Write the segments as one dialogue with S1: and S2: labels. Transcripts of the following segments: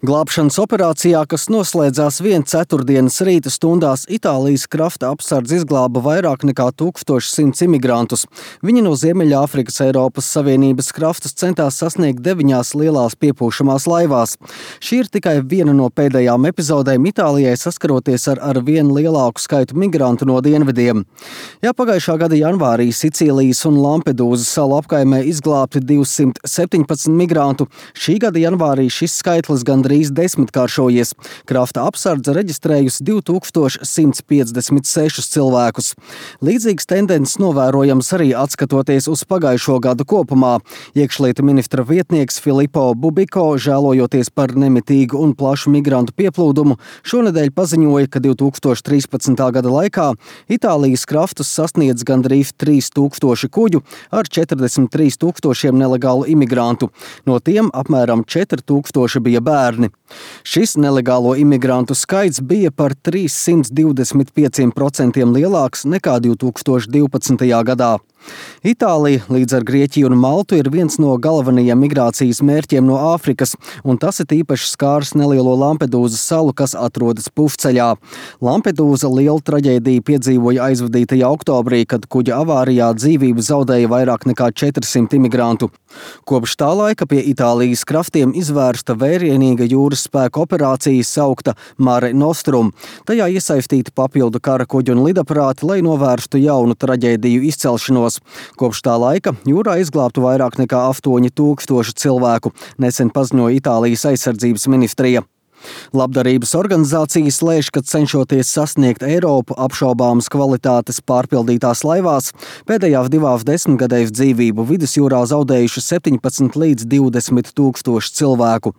S1: Glābšanas operācijā, kas noslēdzās ceturtdienas rīta stundās, Itālijas krasta apsardze izglāba vairāk nekā 1100 imigrantus. Viņi no Ziemeļāfrikas Eiropas Savienības krastas centās sasniegt 9 lielās piepūšamās laivās. Šī ir tikai viena no pēdējām epizodēm Itālijai saskaroties ar vien lielāku skaitu migrantu no dienvidiem. Ja pagājušā gada janvārī Sicīlijas un Lampedūzas salu apkaimē izglābti 217 migrantu, šī gada janvārī šis skaitlis gandrīz desmitkāršojies. Krasta apsardze reģistrējusi 2156 cilvēkus. Līdzīgas tendences novērojams arī atskatoties uz pagājušo gadu kopumā. Iekšlietu ministra vietnieks Filippo Bubiko, žēlojoties par nemitīgu un plašu migrantu pieplūdumu, šonedēļ paziņoja, ka 2013. gada laikā Itālijas krastus sasniedz gandrīz 3000 kuģu ar 43 000 nelegālu imigrantu. No tiem apmēram 4000 bija bērni. Šis nelegālo imigrantu skaits bija par 325% lielāks nekā 2012. gadā. Itālija līdz ar Grieķiju un Maltu ir viens no galvenajiem migrācijas mērķiem no Āfrikas, un tas ir īpaši skārs nelielo Lampedūzas salu, kas atrodas pufceļā. Lampedūza lielu traģēdiju piedzīvoja aizvadītajā oktobrī, kad kuģa avārijā dzīvību zaudēja vairāk nekā 400 imigrantu. Kopš tā laika pie Itālijas krastiem izvērsta vērienīga jūras spēka operācija saukta Mare Nostrum. Tajā iesaistīti papildu kara kuģi un lidaparāti, lai novērstu jaunu traģēdiju izcelšanos. Kopš tā laika jūrā izglābtu vairāk nekā 8000 cilvēku, nesen paziņoja Itālijas aizsardzības ministrija. Labdarības organizācijas lēš, ka cenšoties sasniegt Eiropu apšaubāmas kvalitātes pārpildītās laivās, pēdējās 2 desmitgadēs dzīvību vidusjūrā zaudējuši 17 līdz 20 000 cilvēku.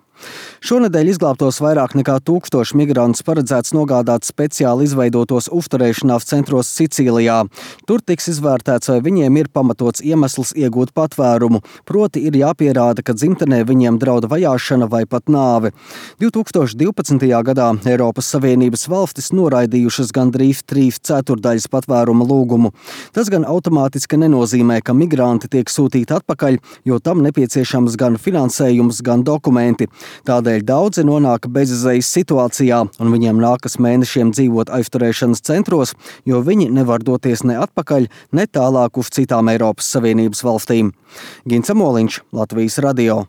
S1: Šonedēļ izglābtos vairāk nekā 1000 migrantus paredzēts nogādāt speciāli izveidotos uzturēšanās centros Sicīlijā. Tur tiks izvērtēts, vai viņiem ir pamatots iemesls iegūt patvērumu, proti ir jāpierāda, ka dzimtenē viņiem draud vajāšana vai pat nāve. 2012. gadā Eiropas Savienības valstis noraidījušas gandrīz 3/4 patvēruma lūgumu. Tas gan automātiski nenozīmē, ka migranti tiek sūtīti atpakaļ, jo tam nepieciešams gan finansējums, gan dokumenti. Tādēļ daudzi nonāk bezizejas situācijā, un viņiem nākas mēnešiem dzīvot aizturēšanas centros, jo viņi nevar doties ne atpakaļ, ne tālāk uz citām Eiropas Savienības valstīm. Gints Amoliņš, Latvijas radio.